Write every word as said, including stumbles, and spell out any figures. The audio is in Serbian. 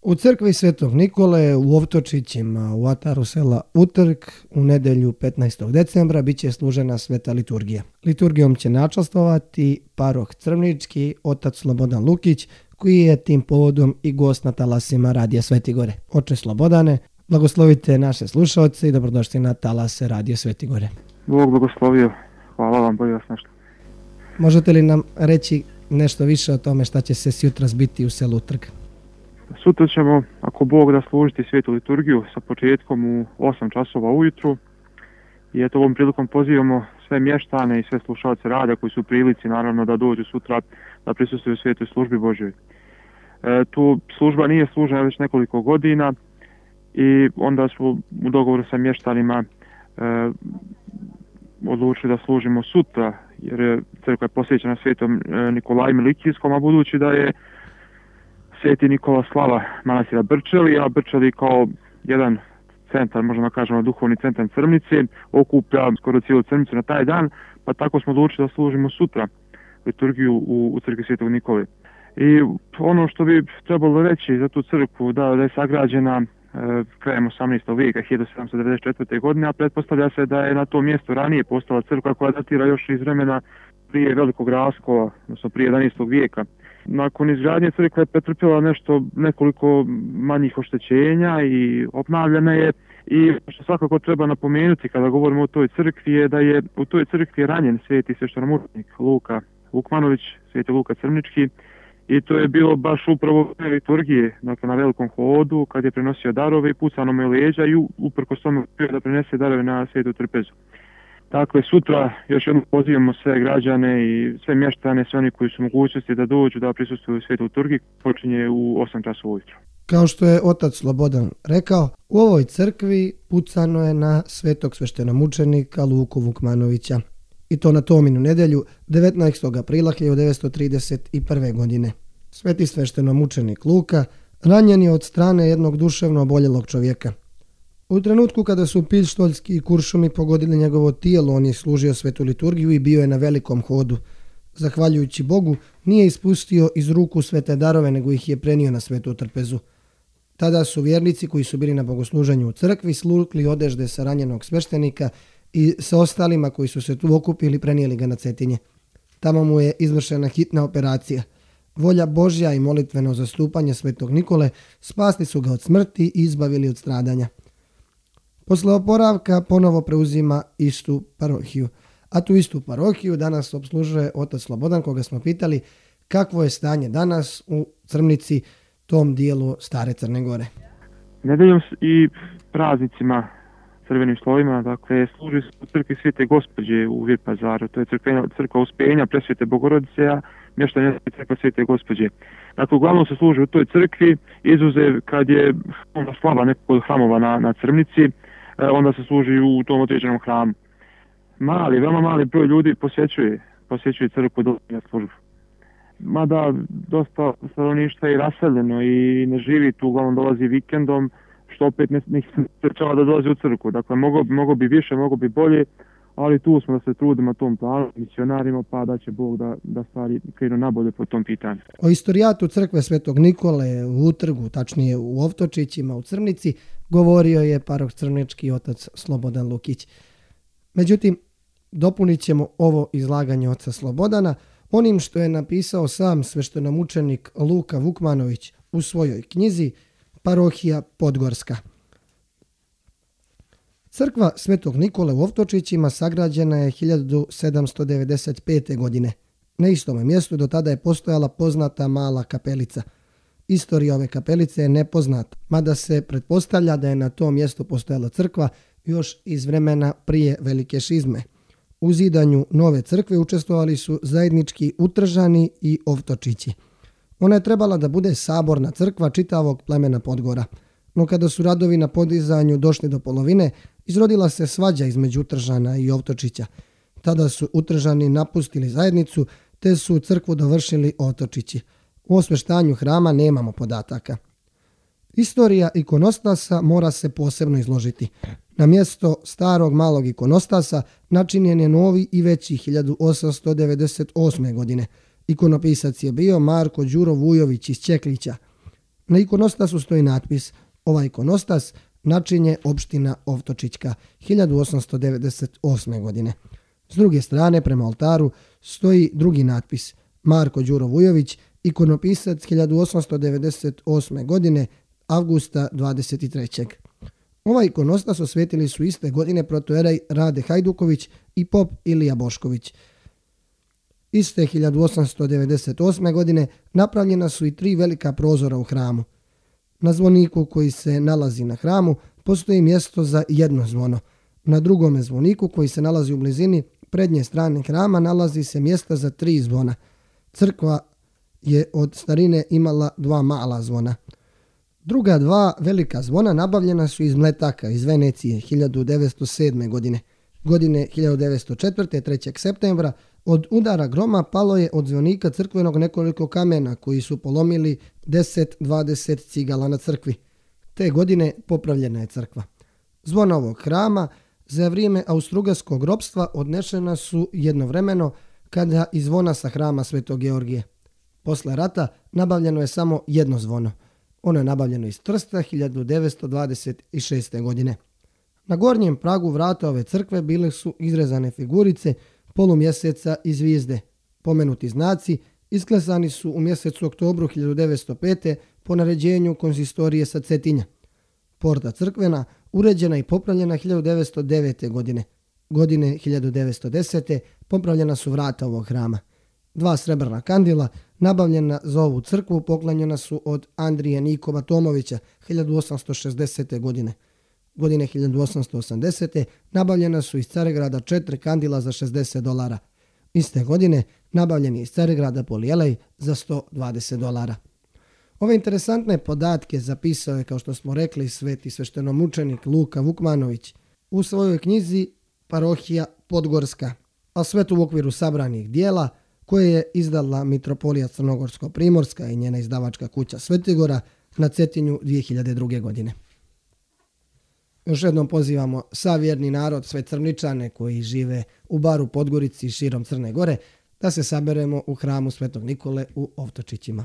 U crkvi Svetog Nikole u Ovtočićima u ataru sela Utrk u nedjelju petnaestog decembra bit će služena sveta liturgija. Liturgijom će načastvovati paroh Crvnički, otac Slobodan Lukić, koji je tim povodom i gost na talasima Radija Svetigore. Oče Slobodane, blagoslovite naše slušalce i dobrodošli na talase Radija Svetigore. Bog blagoslovio. Hvala vam, bolje vas nešto. Možete li nam reći nešto više o tome šta će se sjutra zbiti u selu Utrk? Sutra ćemo, ako Bog da, služiti svetu liturgiju sa početkom u osam časova ujutru. I eto, ovom prilikom pozivamo sve mještane i sve slušalce rada koji su u prilici naravno da dođu sutra da prisustvuju svetoj službi Božjoj. E, tu služba nije služena već nekoliko godina i onda smo u dogovoru sa mještanima e, odlučili da služimo sutra, jer je crkva je posvećena svetom Nikolaju Milikijskom, a budući da je Sveti Nikola slava manastira Brčeli, a Brčeli kao jedan centar, možemo kažemo duhovni centar Crvnice, okuplja skoro cijelu Crvnicu na taj dan, pa tako smo odlučili da služimo sutra liturgiju u, u crkvi Svetog Nikole. I ono što bi trebalo reći za tu crkvu, da, da je sagrađena e, krajem osamnaestog vijeka, hiljadu sedamsto devedeset četvrte. godine, a pretpostavlja se da je na tom mjestu ranije postala crkva koja datira još iz vremena prije velikog raskola, odnosno prije jedanaestog vijeka. Nakon izgradnje crkva je pretrpjela nešto, nekoliko manjih oštećenja i obnavljana je. I što svakako treba napomenuti kada govorimo o toj crkvi je da je u toj crkvi ranjen sveti sveštenomučenik Luka Vukmanović, sveti Luka Crvnički, i to je bilo baš upravo u liturgije, dakle na velikom hodu, kad je prenosio darove i pucano mu je leđa i uprkos tome uspio da prenese darove na svetu trpezu. Dakle, sutra još jednom pozivamo sve građane i sve mještane, sve oni koji su mogućnosti da dođu da prisustvuju svetu liturgiji, počinje u osam časova ujutro. Kao što je otac Slobodan rekao, u ovoj crkvi pucano je na svetog sveštenomučenika Luku Vukmanovića. I to na Tominu nedjelju devetnaestog aprila hiljadu devetsto trideset prve. godine. Sveti sveštenomučenik Luka ranjen je od strane jednog duševno oboljelog čovjeka. U trenutku kada su pištoljski i kuršumi pogodili njegovo tijelo, on je služio svetu liturgiju i bio je na velikom hodu. Zahvaljujući Bogu, nije ispustio iz ruku svete darove, nego ih je prenio na svetu trpezu. Tada su vjernici koji su bili na bogosluženju u crkvi slukli odežde sa ranjenog sveštenika i sa ostalima koji su se tu okupili prenijeli ga na Cetinje. Tamo mu je izvršena hitna operacija. Volja Božja i molitveno zastupanje Svetog Nikole spasli su ga od smrti i izbavili od stradanja. Posle oporavka ponovo preuzima istu parohiju. A tu istu parohiju danas obslužuje otac Slobodan, koga smo pitali kakvo je stanje danas u Crvnici, tom dijelu stare Crne Gore. Nedeljom i praznicima crvenim slovima, dakle, služi se u crkvi Svete Gospođe u Virpazaru, to je crkva, crkva Uspenja Presvete Bogorodice, a mještanje je crkva Svete Gospođe. Dakle, uglavnom se služi u toj crkvi, izuzev kad je onda slava nekog hramova na, na Crvnici, onda se služi u tom određenom hramu. Mali, veoma mali broj ljudi posjećuje, posjećuje crkvu do službu. Mada dosta stanovništva je raseljeno i ne živi tu, uglavnom dolazi vikendom, što opet ne, ne sprečava da dolazi u crkvu. Dakle, mogo, mogo bi više, mogo bi bolje, ali tu smo da se trudimo tom planu, misionarima, pa da će Bog da, da stvari krenu nabolje po tom pitanju. O istorijatu crkve Svetog Nikole u Utrgu, tačnije u Ovtočićima u Crvnici, govorio je paroh Crvnički otac Slobodan Lukić. Međutim, dopunit ćemo ovo izlaganje oca Slobodana onim što je napisao sam sveštenomučenik Luka Vukmanović u svojoj knjizi Parohija Podgorska. Crkva Svetog Nikole u Ovtočićima sagrađena je hiljadu sedamsto devedeset pete. godine. Na istome mjestu do tada je postojala poznata mala kapelica. Istorija ove kapelice je nepoznata, mada se pretpostavlja da je na tom mjestu postojala crkva još iz vremena prije velike šizme. U zidanju nove crkve učestvovali su zajednički Utržani i Ovtočići. Ona je trebala da bude saborna crkva čitavog plemena Podgora. No kada su radovi na podizanju došli do polovine, izrodila se svađa između Utržana i Ovtočića. Tada su Utržani napustili zajednicu, te su crkvu dovršili Ovtočići. U osveštanju hrama nemamo podataka. Istorija ikonostasa mora se posebno izložiti. Na mjesto starog malog ikonostasa načinjen je novi i veći hiljadu osamsto devedeset osme. godine. Ikonopisac je bio Marko Đuro Vujović iz Čeklića. Na ikonostasu stoji natpis "Ovaj ikonostas načinje opština Ovtočićka hiljadu osamsto devedeset osme. godine. S druge strane, prema oltaru, stoji drugi natpis Marko Đuro Vujović, ikonopisac hiljadu osamsto devedeset osme. godine, avgusta dvadeset trećeg. Ovaj ikonostas osvetili su iste godine protojerej Rade Hajduković i pop Ilija Bošković. Iste hiljadu osamsto devedeset osme. godine napravljena su i tri velika prozora u hramu. Na zvoniku koji se nalazi na hramu postoji mjesto za jedno zvono. Na drugome zvoniku koji se nalazi u blizini prednje strane hrama nalazi se mjesta za tri zvona. Crkva je od starine imala dva mala zvona. Druga dva velika zvona nabavljena su iz Mletaka iz Venecije hiljadu devetsto sedme. godine. Godine hiljadu devetsto četvrte. trećeg septembra od udara groma palo je od zvonika crkvenog nekoliko kamena koji su polomili deset dvadeset cigala na crkvi. Te godine popravljena je crkva. Zvona ovog hrama za vrijeme austrougarskog ropstva odnešena su jednovremeno kada i zvona sa hrama Svetog Georgije. Posle rata nabavljeno je samo jedno zvono. Ono je nabavljeno iz Trsta hiljadu devetsto dvadeset šeste. godine. Na gornjem pragu vrata ove crkve bile su izrezane figurice polumjeseca i zvijezde. Pomenuti znaci isklesani su u mjesecu oktobru hiljadu devetsto pete. po naređenju konzistorije sa Cetinja. Porta crkvena uređena i popravljena hiljadu devetsto devete. godine. Godine hiljadu devetsto desete. popravljena su vrata ovog hrama. Dva srebrna kandila nabavljena za ovu crkvu poklanjena su od Andrije Nikova Tomovića hiljadu osamsto šezdesete. godine. Godine hiljadu osamsto osamdesete. nabavljena su iz Caregrada četiri kandila za šezdeset dolara. Iste godine nabavljen je iz Caregrada polijelej za sto dvadeset dolara. Ove interesantne podatke zapisao je, kao što smo rekli, sveti sveštenomučenik Luka Vukmanović u svojoj knjizi Parohija Podgorska, a sve to u okviru sabranih dijela koje je izdala Mitropolija Crnogorsko-Primorska i njena izdavačka kuća Svetigora na Cetinju dvije hiljade druge. godine. Još jednom pozivamo sav vjerni narod, sve Crničane koji žive u Baru, Podgorici i širom Crne Gore, da se saberemo u hramu Svetog Nikole u Ovtočićima.